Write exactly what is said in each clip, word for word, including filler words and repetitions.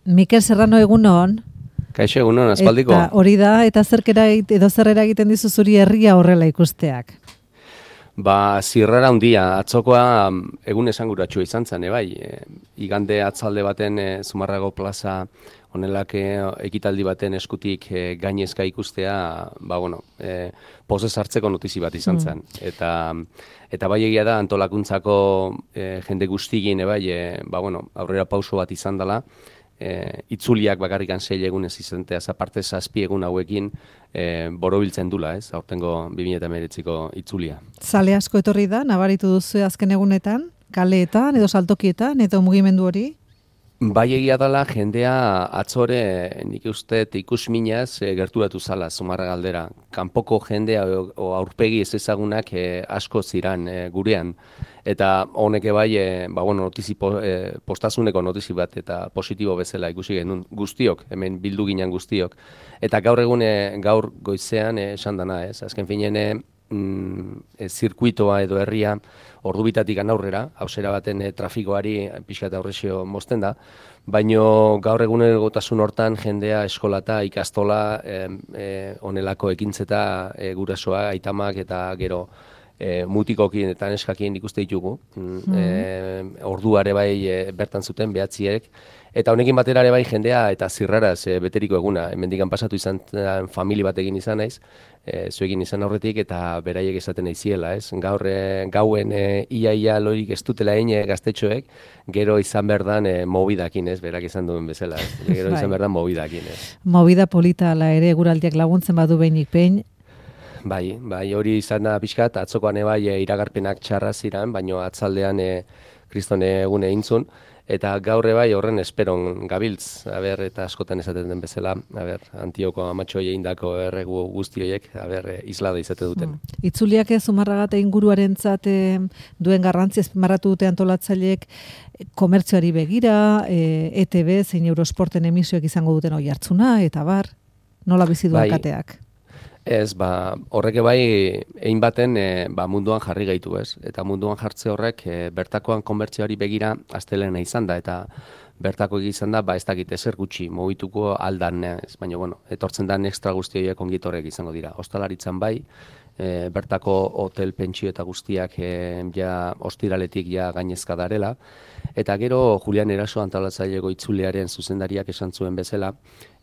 Mikel Serrano egunon. Kaixo egunon, aspaldiko. Eta hori da, eta zerkera edo zerrera egiten dizu zuri herria horrela ikusteak. Ba, zirrara hundia, atzokoa egun esanguratsua izan zen, e, bai. E, igande atzalde baten e, Zumarrago plaza honelak e, ekitaldi baten eskutik e, gainezka ikustea, ba, bueno, e, pozez hartzeko notizi bat izan zen. Mm. Eta, eta bai egia da, antolakuntzako e, jende guztigin, e, bai, e, ba, bueno, aurrera pauso bat izan dela, E, itzuliak bakarrikan sei egunez izenteaz aparte zazpi egun hauekin e, borobiltzen dula, ez? Aurtengo bi mila hemeretziko itzulia. Zale asko etorri da, nabaritu duzu azken egunetan, kaleetan edo saltokietan edo mugimendu hori? Bai egia dela, jendea atzore nik uste ikusminaz e, gerturatu zala Zumarra galdera. Kanpoko jendea o, o aurpegi ez ezagunak e, asko ziran e, gurean. Eta honeke bai, e, ba, bueno, notizi po, e, postazuneko notizi bat eta positibo bezala ikusi genuen guztiok, hemen bildu ginen guztiok. Eta gaur egune, gaur goizean e, esan dana, ez? Azken finean, mm, e, zirkuitoa edo herria ordubitatik aurrera, hausera baten e, trafikoari pixka eta aurrezio mozten da, baino gaur egunerotasun hortan jendea eskolata, ikastola, e, e, onelako ekintzeta e, gurasoa, aitamak eta gero E, mutikokin eta neskakien ikuste ditugu. Mm. E, orduare bai e, bertan zuten behatziek. Eta honekin batera ere bai jendea eta zirraraz e, beteriko eguna. Hemendikan pasatu izan famili batekin izan naiz, e, zuekin izan aurretik eta beraiek esaten naiziela, ez? Gaur e, gauen e, ia-ia lorik ez dutela egin gaztetxoek, gero izan berdan e, mobidakin, ez? Berak izan duen bezala, ez? Gero izan berdan mobidakin, ez? Movida polita ala ere guraldiak laguntzen badu behinik behin. Bai, bai, hori izan da pixkat, atzokoan bai e, iragarpenak txarra ziran, baino atzaldean e, kristone egune intzun, eta gaurre bai horren esperon gabiltz, aber, eta askotan esaten den bezala, aber, Antioko amatxoi egindako erregu guztioiek, aber, e, islada izate duten. Hmm. Itzuliak ez Zumarragate inguruarentzat e, duen garrantzi azpimarratu dute antolatzaileek komertzioari begira, e, E T B zein Eurosporten emisioek izango duten oi hartzuna, eta bar, nola bizi duen bai. kateak? Ez, ba, horreke bai, egin baten e, ba, munduan jarri gaitu, ez? Eta munduan jartze horrek e, bertakoan konbertzioari begira astelena izan da, eta bertako izan da, ba, ez dakit ezer gutxi, mugituko aldan, ez? Baina, bueno, etortzen da extra guztioiek ongitorek izango dira. Ostalaritzan bai, e, bertako hotel, pentsio eta guztiak e, ja ostiraletik ja gainezka darela, eta gero Julian Eraso antolatzaileko itzuliaren zuzendariak esan zuen bezala,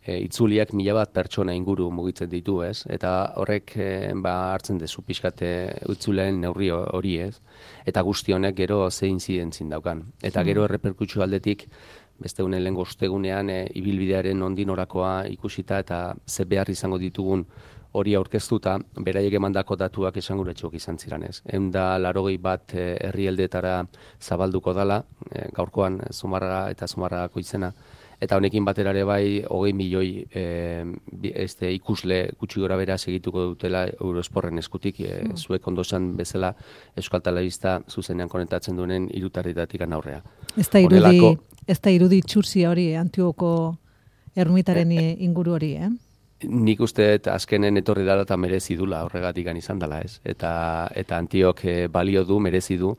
E, itzuliak mila bat pertsona inguru mugitzen ditu, ez? Eta horrek e, ba, hartzen dezu pixkate itzuleen neurri hori, ez? Eta guzti honek gero zein zidentzin daukan. Eta gero erreperkutsu aldetik, beste unen lehen ostegunean e, ibilbidearen ondinorakoa ikusita eta ze behar izango ditugun hori aurkeztuta, beraiek emandako datuak esanguratsuak izan ziren, ez? Ehun eta laurogei bat e, herrialdeetara zabalduko dala, e, gaurkoan Zumarraga eta Zumarragako izena, eta honekin batera ere bai, hogei milioi e, este, ikusle gutxi gora bera segituko dutela Eurosporren eskutik, e, mm. zuek ondo esan bezala Euskal Telebista zuzenean konektatzen duen hirutarritatik aurrea. Ez da irudi, Horrelako, ez da irudi txursia hori, eh? Antioko ermitaren e, inguru hori, eh? Nik uste azkenen etorri dela eta merezi dula, horregatik izan dela, ez? Eta, eta Antiok e, balio du, merezi du,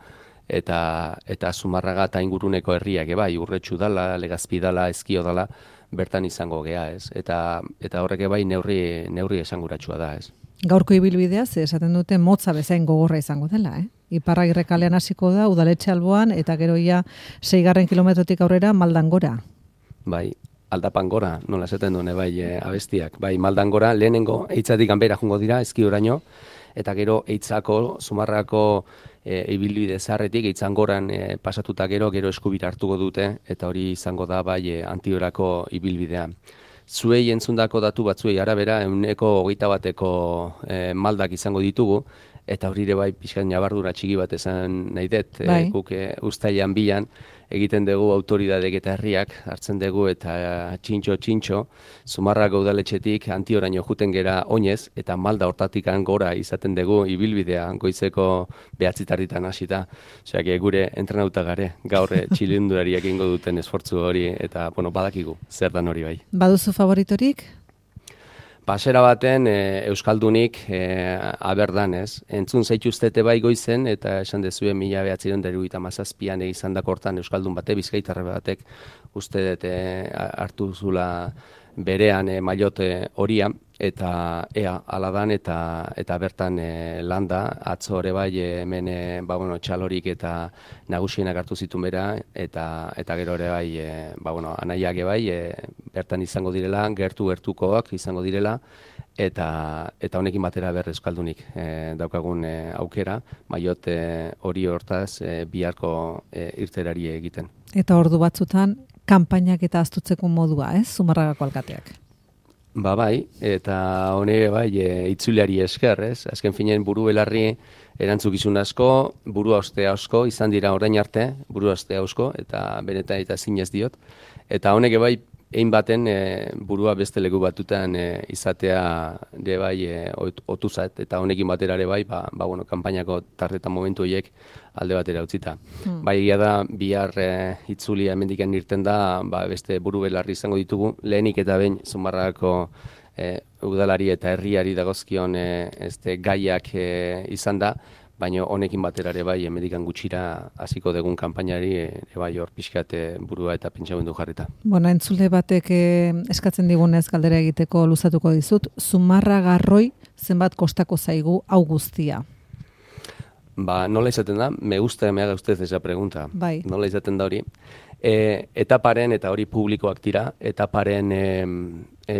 eta eta Zumarraga eta inguruneko herriak bai, Urretxu dala, Legazpi dala, Ezkio dala, bertan izango gea, ez? Eta eta horrek bai neurri neurri esanguratsua da, ez? Gaurko ibilbidea ze esaten dute motza bezain gogorra izango dela, eh? Iparragirre kalean hasiko da udaletxe alboan eta gero ja seigarren kilometrotik aurrera Maldan gora. Bai, aldapan gora, nola esaten duen bai e, abestiak. Bai, Maldan gora lehenengo eitzatik ganbera jungo dira Ezkioraino, eta gero eitzako Zumarrako e, ibilbide zaharretik eitzangoran e, pasatuta gero gero eskubira hartuko dute eta hori izango da bai e, Antiorako ibilbidea. Zuei entzundako datu batzuei arabera ehuneko hogeita bateko e, maldak izango ditugu eta hori ere bai pixkan nabardura txiki bat esan nahi dut, bai. e, guk e, uztailean bilan egiten dugu autoridadek eta herriak hartzen dugu eta txintxo txintxo Zumarrako udaletxetik Antioraino juten gera oinez eta Malda hortatik gora izaten dugu ibilbidea goizeko behatzitarritan hasita. Osea, gure entrenauta gare gaur txilindulariak egingo duten esfortzu hori eta bueno, badakigu zer dan hori bai. Baduzu favoritorik? Pasera baten e, Euskaldunik e, aberdan, ez? Entzun zaituztete bai goizen, eta esan dezue mila behatziehun eta hirurogeita hamazazpian izan dakortan Euskaldun bate, Bizkaitarra batek uste dut e, hartu zula berean e, maiote horia, eta ea aladan eta eta bertan e, landa, atzo ere bai e, hemen e, ba, bueno, txalorik eta nagusienak hartu zituen bera, eta eta gero ere bai, e, ba, bueno, anaiak bai, e, bertan izango direla, gertu-gertukoak izango direla, eta eta honekin batera ber euskaldunik e, daukagun e, aukera, maiot e, hori hortaz e, biharko e, irterari egiten. Eta ordu batzutan, kanpainak eta astutzeko modua, ez? Zumarragako alkateak. Ba bai, eta hone bai, e, itzuliari esker, ez? Azken finen buru belarri erantzukizun asko, burua ostea asko, izan dira orain arte, burua ostea asko, eta benetan eta zinez diot. Eta honek bai, egin baten e, burua beste leku batutan e, izatea de bai e, otuzat, eta honekin batera ere bai, ba, ba bueno, kanpainako tartetan momentu horiek alde batera utzita. Hmm. Bai, egia da, bihar e, itzulia hemendikan irten da, ba, beste buru belarri izango ditugu, lehenik eta behin Zumarragako e, udalari eta herriari dagozkion e, este, gaiak e, izan da, baina honekin batera ere bai, hemendikan gutxira hasiko dugun kanpainari ere bai hor pixkat burua eta pentsamendu jarrita. Bueno, entzule batek eh, eskatzen digunez galdera egiteko luzatuko dizut, Zumarragarroi zenbat kostako zaigu hau guztia? Ba, nola izaten da? Me gusta, me haga usted esa pregunta. Bai. Nola izaten da hori? E, etaparen, eta hori publikoak dira, etaparen, e, e,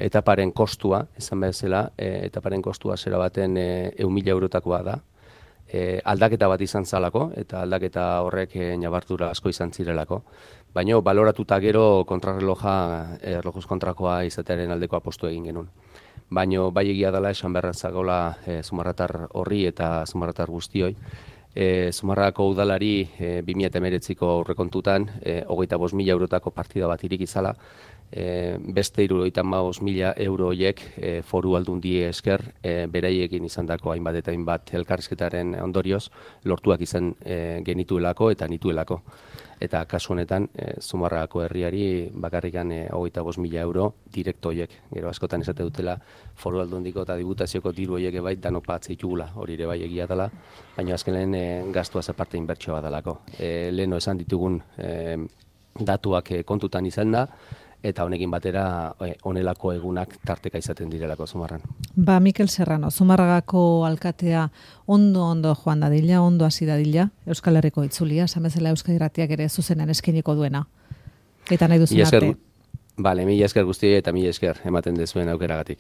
etaparen kostua, esan bezala, e, etaparen kostua zera baten e, eun mila eurotakoa da. E, aldaketa bat izan zalako, eta aldaketa horrek e, nabartura asko izan zirelako. Baina baloratuta gero kontrarreloja, erlojuz kontrakoa izatearen aldeko apostu egin genuen. Baina bai egia dela esan beharra zagola e, Zumarratar horri eta Zumarratar guztioi. E, Zumarragako udalari e, bi mila hemeretziko aurrekontutan e, hogeita bost mila eurotako partida bat irik izala, e, beste hirurogeita hamabost mila euro horiek e, foru aldundie esker e, beraiekin izandako hainbat eta hainbat elkarrizketaren ondorioz lortuak izan e, genituelako eta nituelako. Eta kasu honetan, e, Zumarragako herriari bakarrikan e, hogeita bost mila euro direkto horiek. Gero askotan esate dutela foru aldundiko eta diputazioko diru horiek bai danok patze ditugula, hori ere bai egia dela, baina azken lehen e, gastuaz aparte inbertsioa badalako. E, leheno esan ditugun e, datuak e, kontutan izan da, eta honekin batera e, onelako egunak tarteka izaten direlako Zumarran. Ba, Mikel Serrano, Zumarragako alkatea ondo-ondo joan dadila, ondo hasi dadila, Euskal Herriko itzulia, samezela Euskal Irratiak ere zuzenan eskeniko duena. Eta nahi duzun arte. Bale, mila esker guzti eta mila esker ematen dezuen aukeragatik.